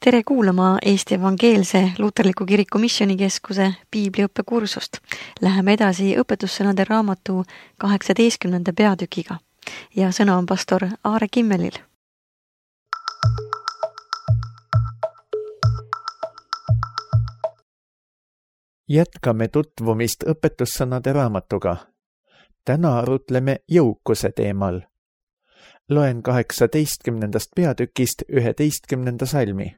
Tere kuulama Eesti Evangeelse Luterliku Kiriku Missioonikeskuse piibliõppekursust. Läheme edasi õpetussõnade raamatu 18. peatükiga ja sõna on pastor Aare Kimmelil. Jätkame tutvumist õpetussõnade raamatuga. Täna arutleme jõukuse teemal. Loen 18. peatükist 11. salmi.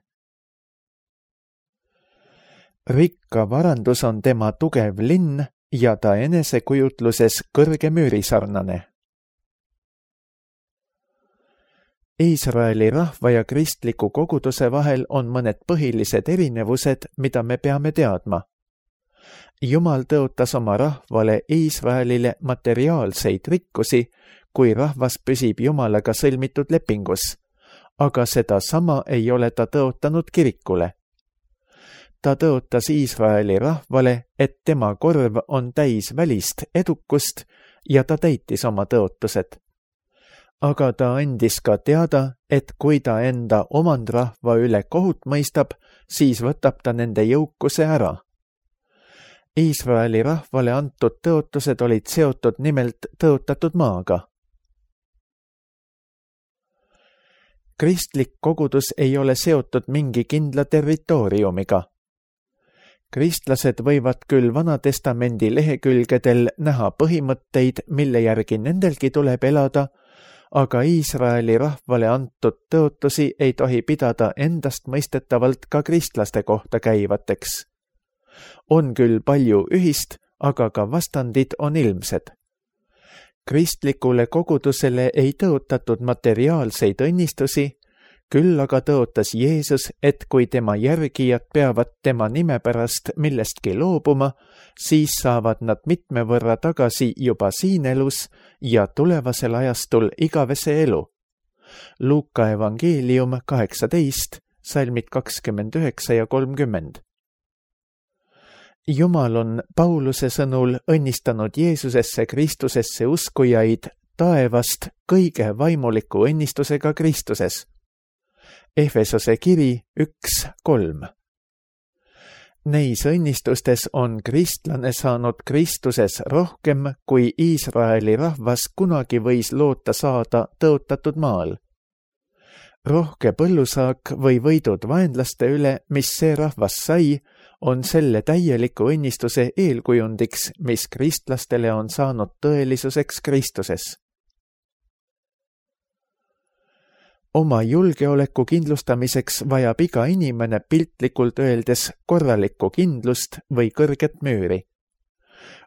Rikka varandus on tema tugev linn ja ta enesekujutluses kõrge müürisarnane. Iisraeli rahva ja kristliku koguduse vahel on mõned põhilised erinevused, mida me peame teadma. Jumal tõotas oma rahvale Iisraelile materiaalseid rikkusi, kui rahvas püsib Jumalaga sõlmitud lepingus, aga seda sama ei ole ta tõotanud kirikule. Ta tõotas Iisraeli rahvale, et tema korv on täis välist edukust ja ta täitis oma tõotused. Aga ta andis ka teada, et kui ta enda omandrahva üle kohut mõistab, siis võtab ta nende jõukuse ära. Iisraeli rahvale antud tõotused olid seotud nimelt tõotatud maaga. Kristlik kogudus ei ole seotud mingi kindla territooriumiga. Kristlased võivad küll Vanatestamendi lehekülgedel näha põhimõtteid, mille järgi nendelgi tuleb elada, aga Iisraeli rahvale antud tõotusi ei tohi pidada endastmõistetavalt ka kristlaste kohta käivateks. On küll palju ühist, aga ka vastandid on ilmsed. Kristlikule kogudusele ei tõotatud materiaalseid õnnistusi, küll aga tõotas Jeesus, et kui tema järgijad peavad tema nime pärast millestki loobuma, siis saavad nad mitme võrra tagasi juba siin elus ja tulevasel ajastul igavese elu. Luuka evangeelium 18, salmid 29 ja 30. Jumal on Pauluse sõnul õnnistanud Jeesusesse Kristusesse uskujaid taevast kõige vaimuliku õnnistusega Kristuses. Efesose kiri 1:3. Neis õnnistustes on kristlane saanud Kristuses rohkem, kui Iisraeli rahvas kunagi võis loota saada tõotatud maal. Rohke põllusaak või võidud vaenlaste üle, mis see rahvas sai, on selle täieliku õnnistuse eelkujundiks, mis kristlastele on saanud tõelisuseks Kristuses. Oma julgeoleku kindlustamiseks vajab iga inimene piltlikult öeldes korralikku kindlust või kõrget müüri.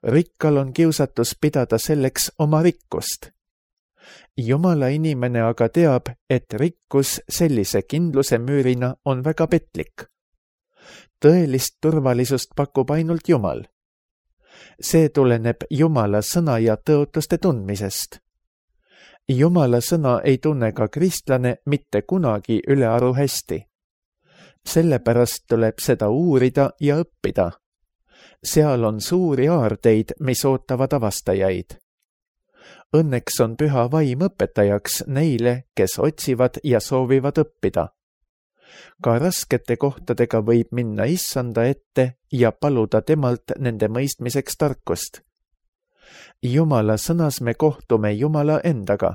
Rikkal on kiusatus pidada selleks oma rikkust. Jumala inimene aga teab, et rikkus sellise kindluse müürina on väga petlik. Tõelist turvalisust pakub ainult Jumal. See tuleneb Jumala sõna ja tõotuste tundmisest. Jumala sõna ei tunne ka kristlane mitte kunagi ülearu hästi. Sellepärast tuleb seda uurida ja õppida. Seal on suuri aardeid, mis ootavad avastajaid. Õnneks on püha vaim õpetajaks neile, kes otsivad ja soovivad õppida. Ka raskete kohtadega võib minna Issanda ette ja paluda temalt nende mõistmiseks tarkust. Jumala sõnas me kohtume Jumala endaga.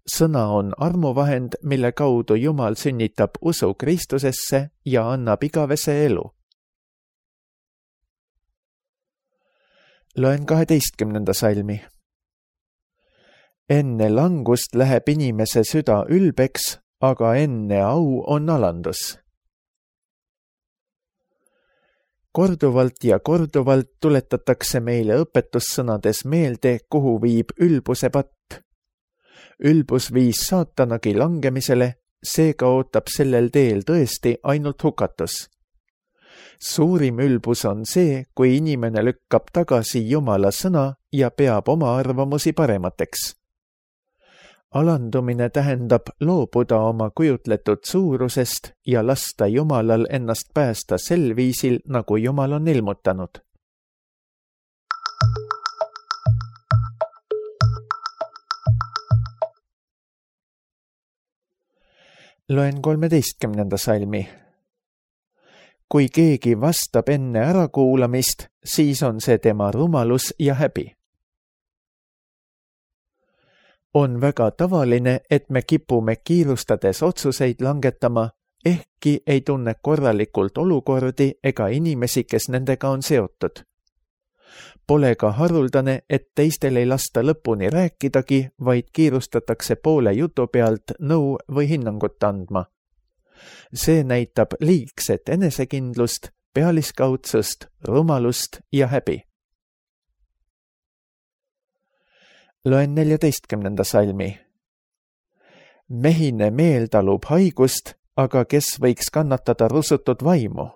Sõna on armuvahend, mille kaudu Jumal sünnitab usu Kristusesse ja annab igavese elu. Loen 12. salmi. Enne langust läheb inimese süda ülbeks, aga enne au on alandus. Korduvalt ja korduvalt tuletatakse meile õpetussõnades meelde, kuhu viib ülbuse patt. Ülbus viis saatanagi langemisele, seega ootab sellel teel tõesti ainult hukatus. Suurim ülbus on see, kui inimene lükkab tagasi Jumala sõna ja peab oma arvamusi paremateks. Alandumine tähendab loobuda oma kujutletud suurusest ja lasta Jumalal ennast päästa sel viisil, nagu Jumal on ilmutanud. Loen 13. salmi. Kui keegi vastab enne ärakuulamist, siis on see tema rumalus ja häbi. On väga tavaline, et me kipume kiirustades otsuseid langetama, ehkki ei tunne korralikult olukordi ega inimesi, kes nendega on seotud. Pole ka haruldane, et teistel ei lasta lõpuni rääkidagi, vaid kiirustatakse poole jutu pealt nõu või hinnangut andma. See näitab liigset enesekindlust, pealiskaudsust, rumalust ja häbi. Loen 14. salmi. Mehine meel talub haigust, aga kes võiks kannatada rusutud vaimu?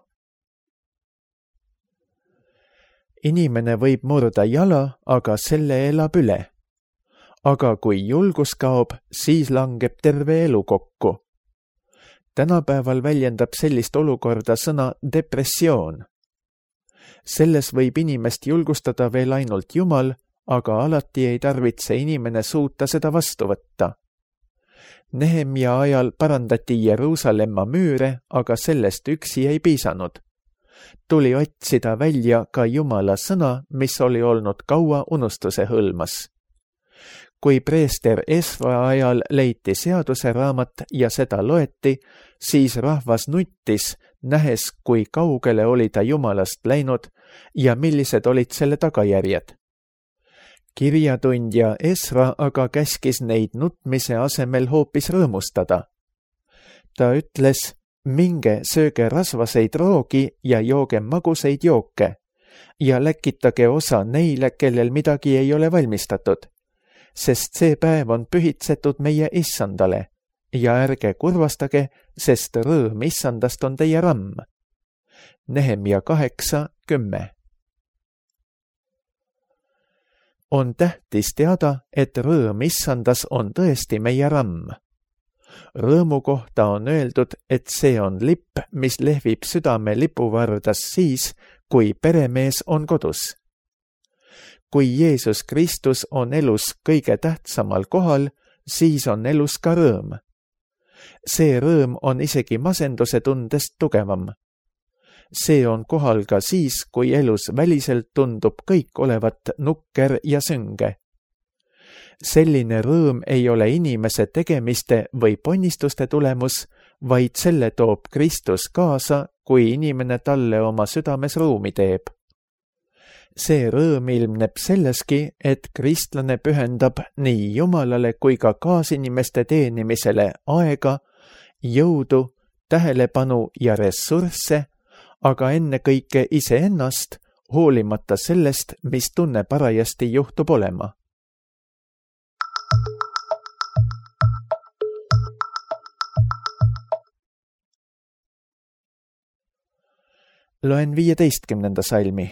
Inimene võib murda jala, aga selle elab üle. Aga kui julgus kaob, siis langeb terve elu kokku. Tänapäeval väljendab sellist olukorda sõna depressioon. Selles võib inimest julgustada veel ainult Jumal, aga alati ei tarvitse inimene suuta seda vastu võtta. Nehemia ajal parandati Jeruusalemma müüre, aga sellest üksi ei piisanud. Tuli otsida välja ka Jumala sõna, mis oli olnud kaua unustuse hõlmas. Kui preester Esra ajal leiti seaduse raamat ja seda loeti, siis rahvas nuttis, nähes, kui kaugele oli ta Jumalast läinud ja millised olid selle tagajärjed. Kirjatundja Esra aga käskis neid nutmise asemel hoopis rõõmustada. Ta ütles, minge sööge rasvaseid roogi ja jooge maguseid jooke ja läkitage osa neile, kellel midagi ei ole valmistatud, sest see päev on pühitsetud meie issandale ja ärge kurvastage, sest rõõm issandast on teie ramm. Nehemia 8:10. On tähtis teada, et rõõm issandas on tõesti meie ramm. Rõõmu kohta on öeldud, et see on lipp, mis lehvib südame lipuvardas siis, kui peremees on kodus. Kui Jeesus Kristus on elus kõige tähtsamal kohal, siis on elus ka rõõm. See rõõm on isegi masenduse tundest tugevam. See on kohal ka siis, kui elus väliselt tundub kõik olevat nukker ja sünge. Selline rõõm ei ole inimese tegemiste või ponnistuste tulemus, vaid selle toob Kristus kaasa, kui inimene talle oma südames ruumi teeb. See rõõm ilmneb selleski, et kristlane pühendab nii Jumalale kui ka kaasinimeste teenimisele aega, jõudu, tähelepanu ja ressursse, aga ennekõike iseennast, hoolimata sellest, mis tunne parajasti juhtub olema. Loen 15. salmi.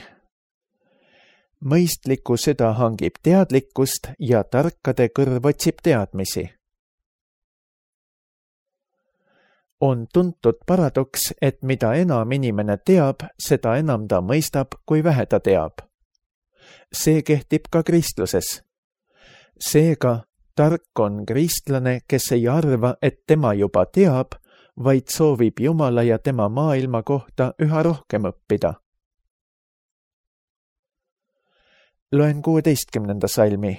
Mõistliku süda hangib teadlikkust ja tarkade kõrv otsib teadmisi. On tuntud paradoks, et mida enam inimene teab, seda enam ta mõistab, kui vähe ta teab. See kehtib ka kristluses. Seega, tark on kristlane, kes ei arva, et tema juba teab, vaid soovib Jumala ja tema maailma kohta üha rohkem õppida. Loen 16. salmi.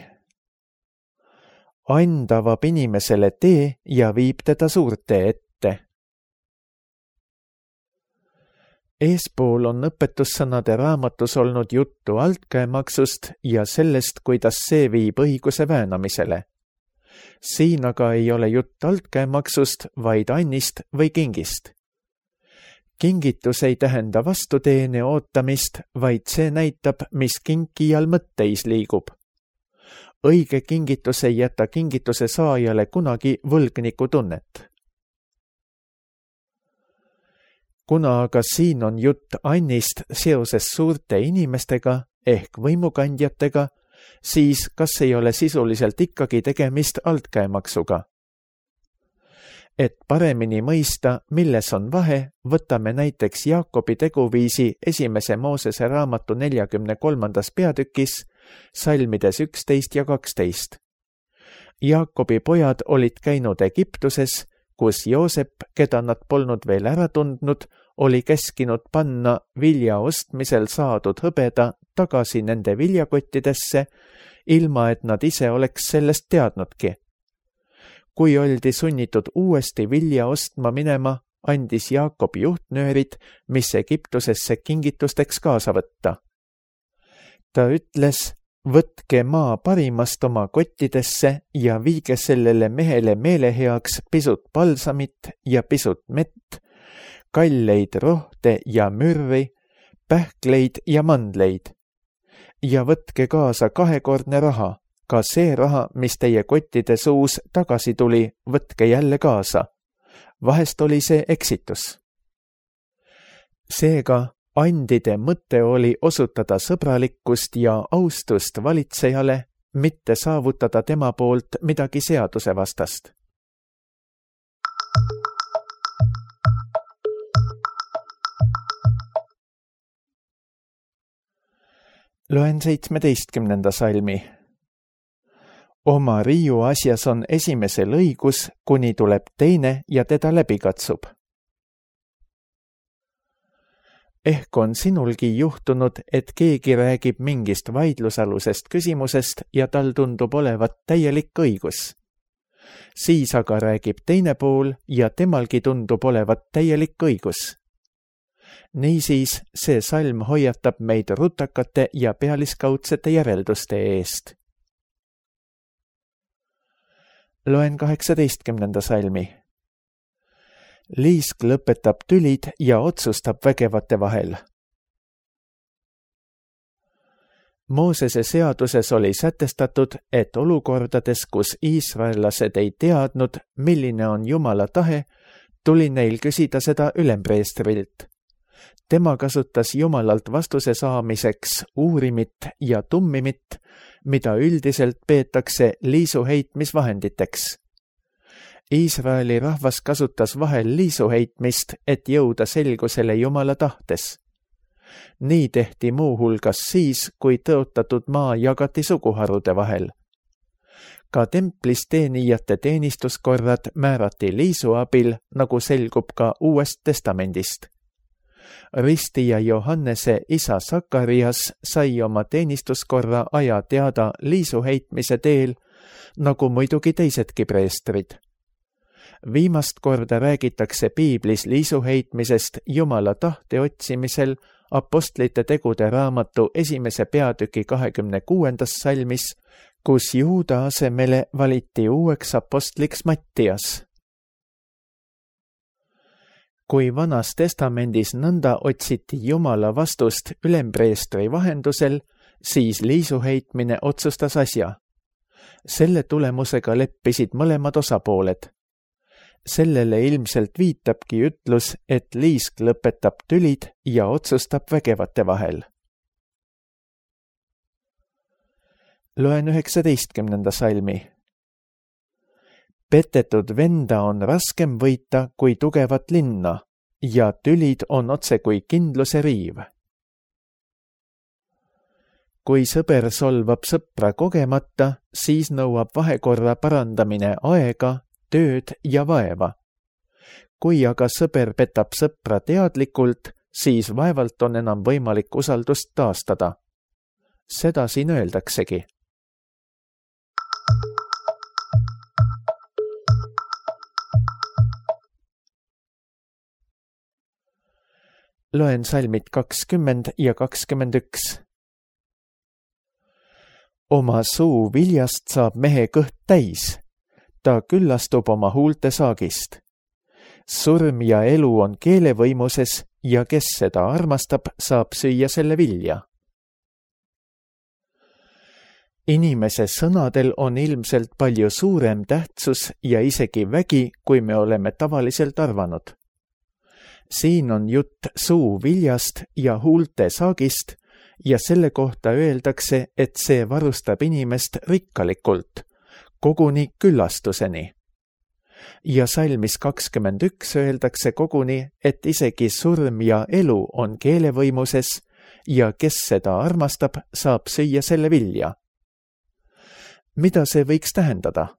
And avab inimesele tee ja viib teda suurte ette. Eespool on õpetussõnade raamatus olnud juttu altkäemaksust ja sellest, kuidas see viib õiguse väänamisele. Siin aga ei ole jutt altkäemaksust, vaid annist või kingist. Kingitus ei tähenda vastuteene ootamist, vaid see näitab, mis kinkijal mõtteis liigub. Õige kingitus ei jäta kingituse saajale kunagi võlgniku tunnet. Kuna aga siin on jutt annist seoses suurte inimestega ehk võimukandjatega, siis kas ei ole sisuliselt ikkagi tegemist altkäemaksuga? Et paremini mõista, milles on vahe, võtame näiteks Jaakobi teguviisi 1. Moosese raamatu 43. peatükis, salmides 11 ja 12. Jaakobi pojad olid käinud Egiptuses, kus Joosep, keda nad polnud veel ära tundnud, oli käskinud panna vilja ostmisel saadud hõbeda tagasi nende viljakottidesse, ilma et nad ise oleks sellest teadnudki. Kui oldi sunnitud uuesti vilja ostma minema, andis Jaakob juhtnöörid, mis Egiptusesse kingitusteks kaasa võtta. Ta ütles, võtke maa parimast oma kottidesse ja viige sellele mehele meeleheaks pisut palsamit ja pisut mett, kalleid rohte ja mürri, pähkleid ja mandleid. Ja võtke kaasa 2-kordne raha, ka see raha, mis teie kottide suus tagasi tuli, võtke jälle kaasa. Vahest oli see eksitus. Seega andide mõte oli osutada sõbralikkust ja austust valitsejale, mitte saavutada tema poolt midagi seadusevastast. Loen 17. salmi. Oma riiu asjas on esimesel õigus, kuni tuleb teine ja teda läbi katsub. Ehk on sinulgi juhtunud, et keegi räägib mingist vaidlusalusest küsimusest ja tal tundub olevat täielik õigus. Siis aga räägib teine pool ja temalgi tundub olevat täielik õigus. Niisiis, see salm hoiatab meid rutakate ja pealiskaudsete järelduste eest. Loen 18. salmi. Liisk lõpetab tülid ja otsustab vägevate vahel. Moosese seaduses oli sätestatud, et olukordades, kus iisraellased ei teadnud, milline on Jumala tahe, tuli neil küsida seda ülempreestrilt. Tema kasutas Jumalalt vastuse saamiseks uurimit ja tummimit, mida üldiselt peetakse liisuheitmisvahenditeks. Iisraeli rahvas kasutas vahel liisuheitmist, et jõuda selgusele Jumala tahtes. Nii tehti muuhulgas siis, kui tõotatud maa jagati suguharude vahel. Ka templis teenijate teenistuskorrad määrati liisu abil, nagu selgub ka Uuest Testamendist. Ristija Johannese isa Sakarias sai oma teenistuskorra aja teada liisuheitmise teel, nagu muidugi teisedki preestrid. Viimast korda räägitakse piiblis liisuheitmisest Jumala tahte otsimisel Apostlite tegude raamatu 1. peatüki 26. salmis, kus Juuda asemele valiti uueks apostliks Mattias. Kui Vanas Testamendis nõnda otsiti Jumala vastust ülempreestri vahendusel, siis liisuheitmine otsustas asja. Selle tulemusega leppisid mõlemad osapooled. Sellele ilmselt viitabki ütlus, et liisk lõpetab tülid ja otsustab vägevate vahel. Loen 19. salmi. Petetud venda on raskem võita kui tugevat linna ja tülid on otse kui kindluse riiv. Kui sõber solvab sõpra kogemata, siis nõuab vahekorra parandamine aega, tööd ja vaeva. Kui aga sõber petab sõpra teadlikult, siis vaevalt on enam võimalik usaldust taastada. Seda siin öeldaksegi. Loen salmid 20 ja 21. Oma suu viljast saab mehe kõht täis. Ta küllastub oma huulte saagist. Surm ja elu on keele võimuses ja kes seda armastab, saab süüa selle vilja. Inimese sõnadel on ilmselt palju suurem tähtsus ja isegi vägi, kui me oleme tavaliselt arvanud. Siin on jutt suu viljast ja huulte saagist ja selle kohta öeldakse, et see varustab inimest rikkalikult, koguni küllastuseni. Ja salmis 21 öeldakse koguni, et isegi surm ja elu on keele võimuses ja kes seda armastab, saab süüa selle vilja. Mida see võiks tähendada?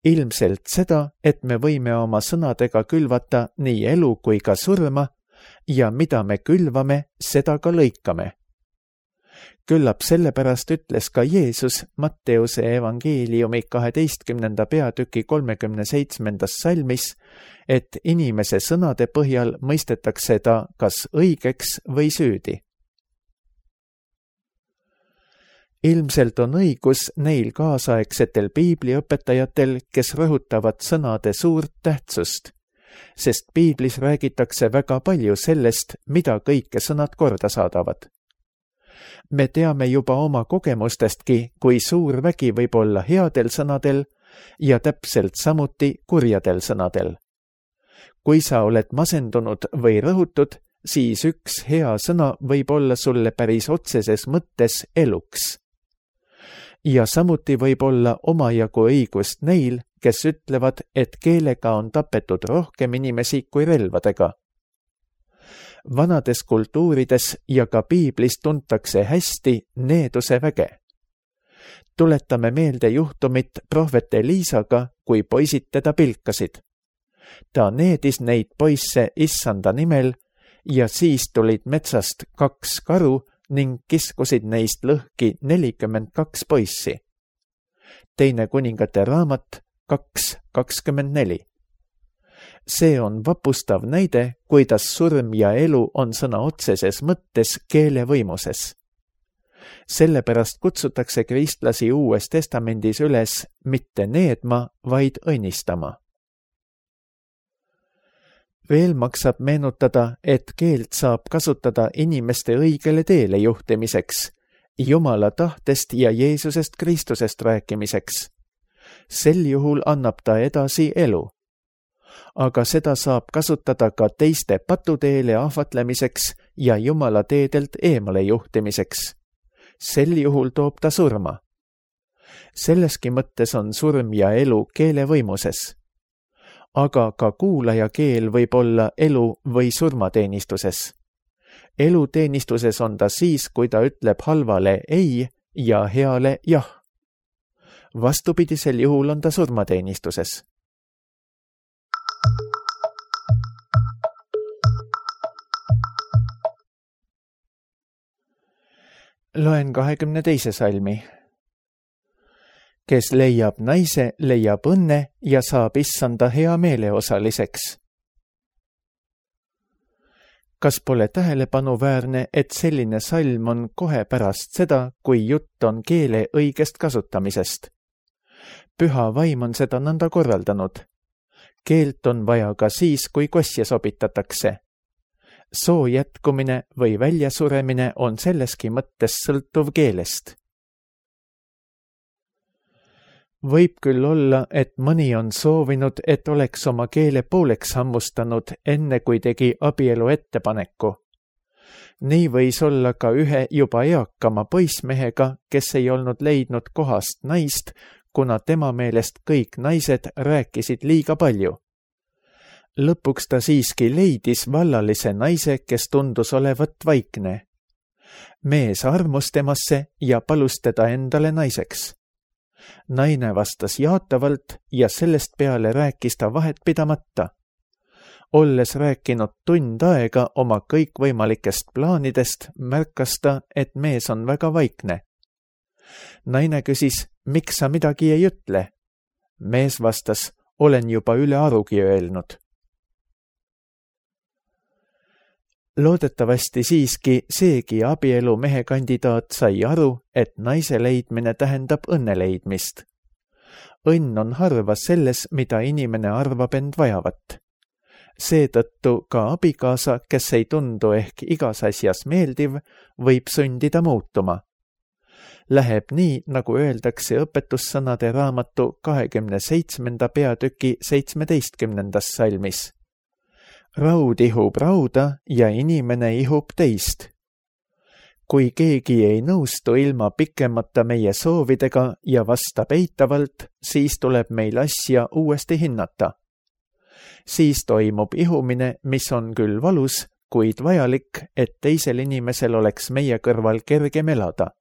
ilmselt seda, et me võime oma sõnadega külvata nii elu kui ka surma ja mida me külvame, seda ka lõikame. Küllap sellepärast ütles ka Jeesus Matteuse evangeeliumi 12. peatüki 37. salmis, et inimese sõnade põhjal mõistetakse ta kas õigeks või süüdi. Ilmselt on õigus neil kaasaegsetel piibliõpetajatel, kes rõhutavad sõnade suurt tähtsust, sest piiblis räägitakse väga palju sellest, mida kõike sõnad korda saadavad. Me teame juba oma kogemustestki, kui suur vägi võib olla headel sõnadel ja täpselt samuti kurjadel sõnadel. Kui sa oled masendunud või rõhutud, siis üks hea sõna võib olla sulle päris otseses mõttes eluks. Ja samuti võib olla omajagu õigust neil, kes ütlevad, et keelega on tapetud rohkem inimesi kui relvadega. Vanades kultuurides ja ka piiblis tuntakse hästi needuse väge. Tuletame meelde juhtumit prohvet Eliisaga, kui poisid teda pilkasid. Ta needis neid poisse issanda nimel ja siis tulid metsast 2 karu ning kiskusid neist lõhki 42 poissi. Teine kuningate raamat 2:24. See on vapustav näide, kuidas surm ja elu on sõna otseses mõttes keele võimuses. Sellepärast kutsutakse kristlasi Uues Testamendis üles mitte needma, vaid õnnistama. Veel maksab meenutada, et keelt saab kasutada inimeste õigele teele juhtimiseks, Jumala tahtest ja Jeesusest Kristusest rääkimiseks. Sel juhul annab ta edasi elu. Aga seda saab kasutada ka teiste patuteele ahvatlemiseks ja Jumala teedelt eemale juhtimiseks. Sel juhul toob ta surma. Selleski mõttes on surm ja elu keele võimuses. Aga ka kuulaja keel võib olla elu või surmateenistuses. Eluteenistuses on ta siis, kui ta ütleb halvale ei ja heale jah. Vastupidisel juhul on ta surmateenistuses. Loen 22. salmi. Kes leiab naise, leiab õnne ja saab issanda hea meeleosaliseks. Kas pole tähelepanuväärne, et selline salm on kohe pärast seda, kui jutt on keele õigest kasutamisest? Püha vaim on seda nõnda korraldanud. Keelt on vaja ka siis, kui kosje sobitatakse. Soo jätkumine või väljasuremine on selleski mõttes sõltuv keelest. Võib küll olla, et mõni on soovinud, et oleks oma keele pooleks hammustanud, enne kui tegi abielu ettepaneku. Nii võis olla ka ühe juba eakama poissmehega, kes ei olnud leidnud kohast naist, kuna tema meelest kõik naised rääkisid liiga palju. Lõpuks ta siiski leidis vallalise naise, kes tundus olevat vaikne. Mees armus temasse ja palus teda endale naiseks. Naine vastas jaatavalt ja sellest peale rääkis ta vahet pidamata. Olles rääkinud tund aega oma kõikvõimalikest plaanidest, märkas ta, et mees on väga vaikne. Naine küsis, miks sa midagi ei ütle? Mees vastas, olen juba üle arugi öelnud. Loodetavasti siiski seegi abielu mehe kandidaat sai aru, et naise leidmine tähendab õnne leidmist. Õnn on harva selles, mida inimene arvab end vajavat. Seetõttu ka abikaasa, kes ei tundu ehk igas asjas meeldiv, võib sundida muutuma. Läheb nii, nagu öeldakse õpetussõnade raamatu 27. peatüki 17. salmis. Raud ihub rauda ja inimene ihub teist. Kui keegi ei nõustu ilma pikemata meie soovidega ja vastab eitavalt, siis tuleb meil asja uuesti hinnata. Siis toimub ihumine, mis on küll valus, kuid vajalik, et teisel inimesel oleks meie kõrval kergem elada.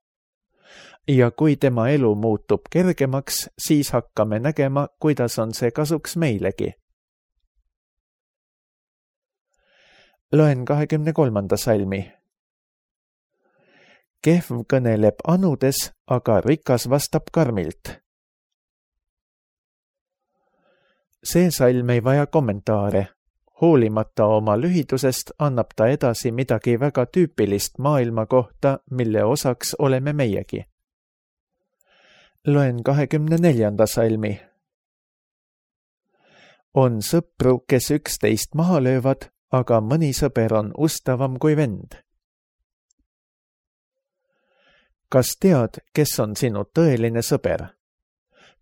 ja kui tema elu muutub kergemaks, siis hakkame nägema, kuidas on see kasuks meilegi. Loen 23. salmi. Kehv kõneleb anudes, aga rikas vastab karmilt. See salm ei vaja kommentaare. Hoolimata oma lühidusest annab ta edasi midagi väga tüüpilist maailma kohta, mille osaks oleme meiegi. Loen 24. salmi. On sõpru, kes 11 maha löövad, aga mõni sõber on ustavam kui vend. Kas tead, kes on sinu tõeline sõber?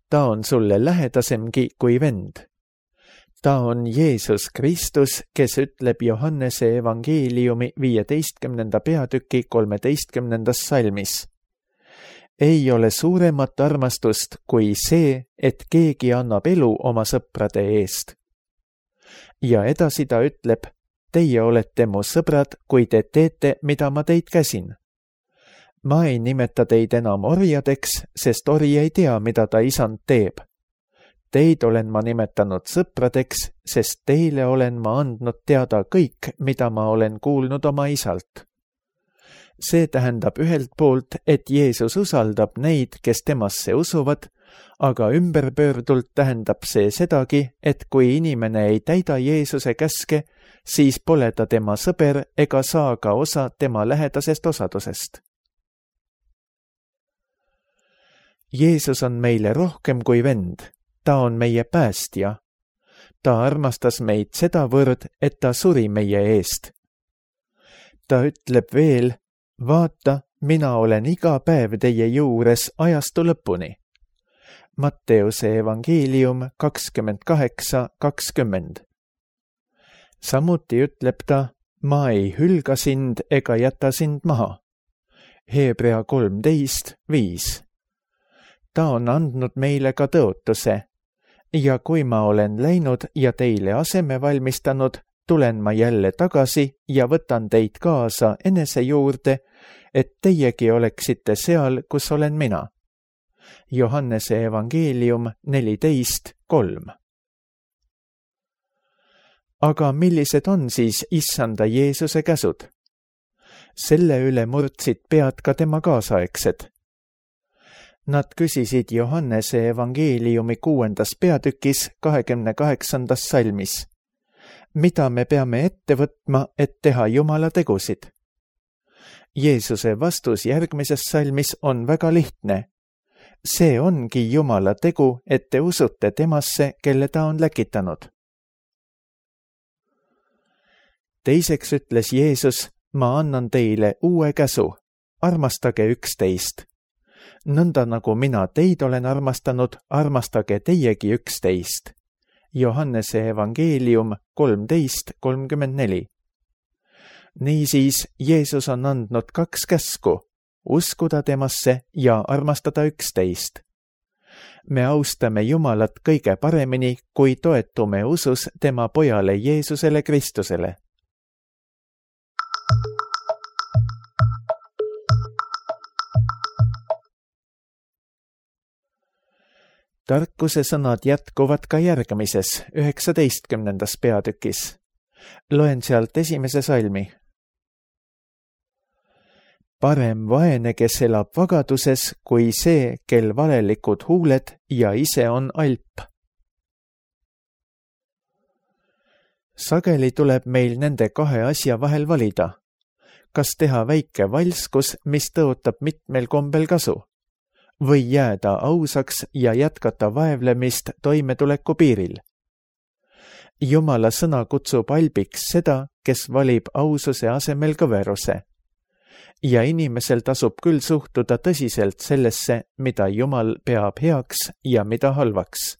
Ta on sulle lähedasemgi kui vend. Ta on Jeesus Kristus, kes ütleb Johannese evangeeliumi 15. peatüki 13. salmis. Ei ole suuremat armastust kui see, et keegi annab elu oma sõprade eest. Ja edasi ta ütleb, teie olete mu sõbrad, kui te teete, mida ma teid käsin. Ma ei nimeta teid enam orjadeks, sest ori ei tea, mida ta isand teeb. Teid olen ma nimetanud sõpradeks, sest teile olen ma andnud teada kõik, mida ma olen kuulnud oma isalt. See tähendab ühelt poolt, et Jeesus usaldab neid, kes temasse usuvad, aga ümberpöördult tähendab see sedagi, et kui inimene ei täida Jeesuse käske, siis pole ta tema sõber ega saa ka osa tema lähedasest osadusest. Jeesus on meile rohkem kui vend. Ta on meie päästja. Ta armastas meid sedavõrd, et ta suri meie eest. Ta ütleb veel, vaata, mina olen iga päev teie juures ajastu lõpuni. Matteuse evangeelium 28:20. Samuti ütleb ta, ma ei hülga sind ega jäta sind maha. Hebrea 13:5. Ta on andnud meile ka tõotuse. Ja kui ma olen läinud ja teile aseme valmistanud, tulen ma jälle tagasi ja võtan teid kaasa enese juurde, et teiegi oleksite seal, kus olen mina. Johannese evangeelium 14:3. Aga millised on siis issanda Jeesuse käsud? Selle üle murdsid pead ka tema kaasaegsed. Nad küsisid Johannese evangeeliumi 6. peatükis 28. salmis. Mida me peame ette võtma, et teha Jumala tegusid? Jeesuse vastus järgmises salmis on väga lihtne. See ongi Jumala tegu, et te usute temasse, kelle ta on läkitanud. Teiseks ütles Jeesus, ma annan teile uue käsu. Armastage üksteist. Nõnda nagu mina teid olen armastanud, armastage teiegi üksteist. Johannese evangeelium 13:34. Niisiis, Jeesus on andnud 2 käsku, uskuda temasse ja armastada üksteist. Me austame Jumalat kõige paremini, kui toetume usus tema pojale Jeesusele Kristusele. Tarkuse sõnad jätkuvad ka järgmises, 19. peatükis. Loen sealt 1. salmi. Parem vaene, kes elab vagaduses, kui see, kel valelikud huuled ja ise on alp. Sageli tuleb meil nende 2 asja vahel valida. Kas teha väike valskus, mis tõotab mitmel kombel kasu? Või jääda ausaks ja jätkata vaevlemist toimetuleku piiril. Jumala sõna kutsub albiks seda, kes valib aususe asemel kõveruse. Ja inimesel tasub küll suhtuda tõsiselt sellesse, mida Jumal peab heaks ja mida halvaks.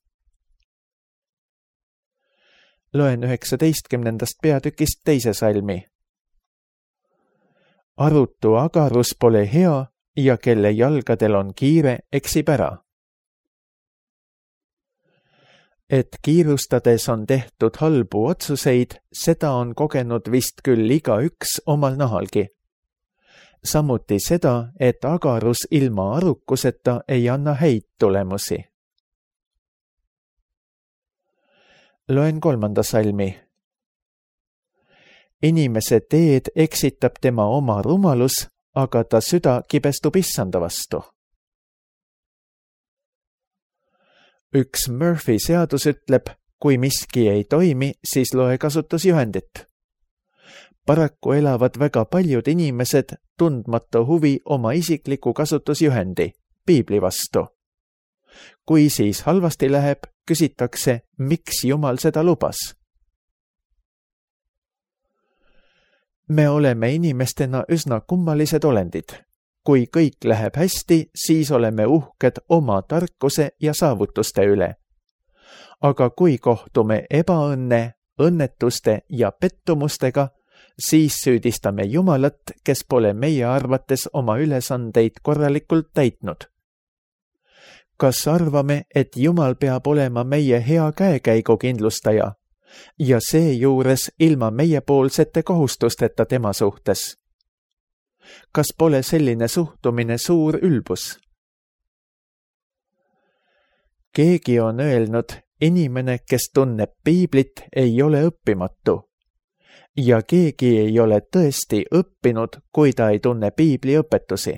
Loen 19. peatükist 2. salmi. Arutu agarus pole hea, ja kelle jalgadel on kiire, eksib ära. Et kiirustades on tehtud halbu otsuseid, seda on kogenud vist küll igaüks omal nahalgi. samuti seda, et agarus ilma arukuseta ei anna häid tulemusi. Loen 3. salmi. Inimese teed eksitab tema oma rumalus, aga ta süda kibestub issanda vastu. Üks Murphy seadus ütleb, kui miski ei toimi, siis loe kasutusjuhendit. Paraku elavad väga paljud inimesed tundmata huvi oma isikliku kasutusjuhendi, piibli vastu. Kui siis halvasti läheb, küsitakse, miks Jumal seda lubas. Me oleme inimestena üsna kummalised olendid. Kui kõik läheb hästi, siis oleme uhked oma tarkuse ja saavutuste üle. Aga kui kohtume ebaõnne, õnnetuste ja pettumustega, siis süüdistame Jumalat, kes pole meie arvates oma ülesandeid korralikult täitnud. Kas arvame, et Jumal peab olema meie hea käekäigu kindlustaja ja seejuures ilma meiepoolsete kohustusteta tema suhtes? Kas pole selline suhtumine suur ülbus? Keegi on öelnud, inimene, kes tunneb piiblit, ei ole õppimatu. Ja keegi ei ole tõesti õppinud, kui ta ei tunne piibli õpetusi.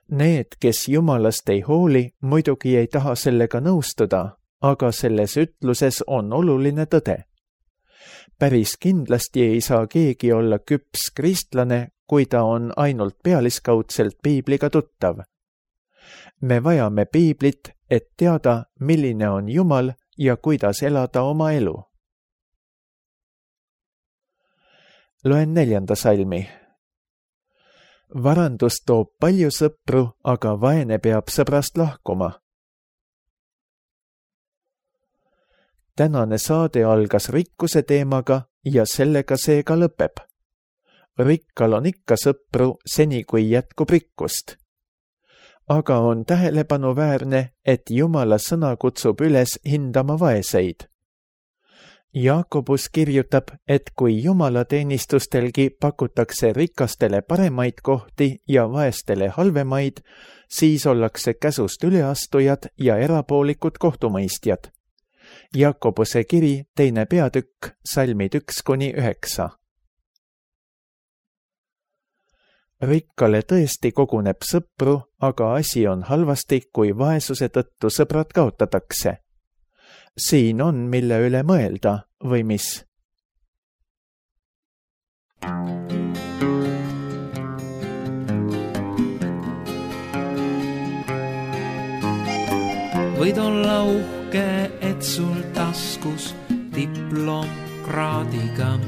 Need, kes Jumalast ei hooli, muidugi ei taha sellega nõustuda, aga selles ütluses on oluline tõde. Päris kindlasti ei saa keegi olla küps kristlane, kui ta on ainult pealiskaudselt piibliga tuttav. Me vajame piiblit, et teada, milline on Jumal ja kuidas elada oma elu. Loen 4. salmi. Varandus toob palju sõpru, aga vaene peab sõbrast lahkuma. Tänane saade algas rikkuse teemaga ja sellega see ka lõpeb. Rikkal on ikka sõpru seni, kui jätkub rikkust. Aga on tähelepanuväärne, et Jumala sõna kutsub üles hindama vaeseid. Jaakobus kirjutab, et kui jumalateenistustelgi pakutakse rikastele paremaid kohti ja vaestele halvemaid, siis ollakse käsust üleastujad ja erapoolikud kohtumõistjad. Jaakobuse kiri 2. peatükk, salmid 1-9. Rikkale tõesti koguneb sõpru, aga asi on halvasti, kui vaesuse tõttu sõbrad kaotatakse. Siin on, mille üle mõelda, või mis? Võid olla uhke, et sul taskus diplomkraadiga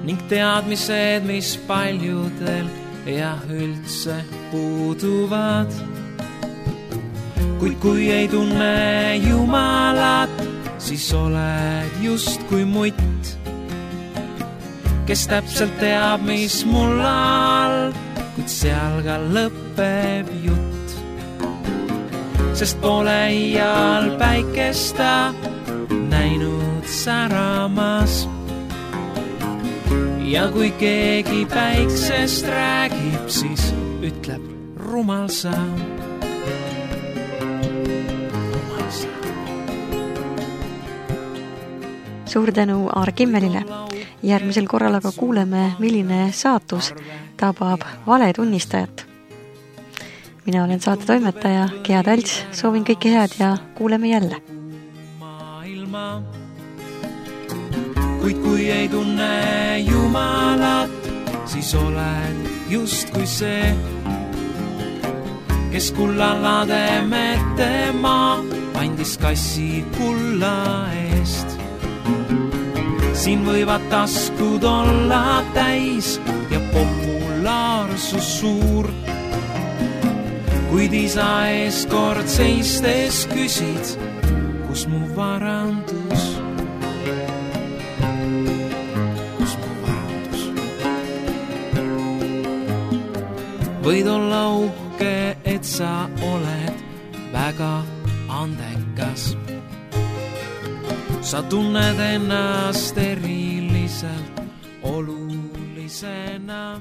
ning teadmised, mis paljudel ja üldse puuduvad. Kuid kui ei tunne Jumalat, siis oled just kui mutt, kes täpselt teab, mis mul all, kuid seal ka lõpeb jutt. Sest pole iial päikesta näinud säramas. Ja kui keegi päiksest räägib, siis ütleb rumal sa. Suur tänu Aar Kimmelile. Järgmisel korral aga kuuleme, milline saatus tabab valetunnistajat. Mina olen saate toimetaja Gea Talts, soovin kõike head ja kuuleme jälle. Kuid kui ei tunne Jumalat, siis oled just kui see, kes kullalade metema andis kassi kulla eest. Siin võivad taskud olla täis ja populaarsus suur, kuid isa ees kord seistes küsid, kus mu varandus? Võid olla uhke, et sa oled väga andekas. Sa tunned ennast eriliselt olulisena. sellisena